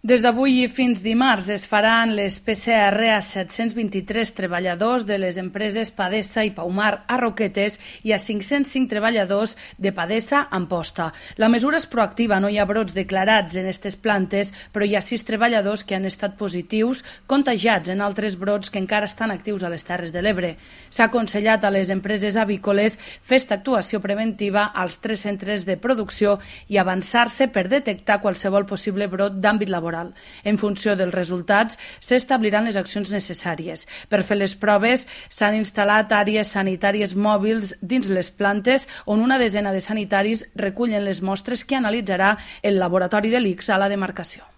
Des d'avui i fins dimarts es faran les PCR a 723 treballadors de les empreses Padesa i Paumar a Roquetes i a 505 treballadors de Padesa a Amposta. La mesura és proactiva, no hi ha brots declarats en aquestes plantes, però hi ha 6 treballadors que han estat positius contagiats en altres brots que encara estan actius a les Terres de l'Ebre. S'ha aconsellat a les empreses avícoles fer esta actuació preventiva als 3 centres de producció i avançar-se per detectar qualsevol possible brot d'àmbit laboral. En funció dels resultats, s'establiran les accions necessàries. Per fer les proves, s'han instal·lat àrees sanitàries mòbils dins les plantes on una desena de sanitaris recullen les mostres que analitzarà el laboratori de l'ICS a la demarcació.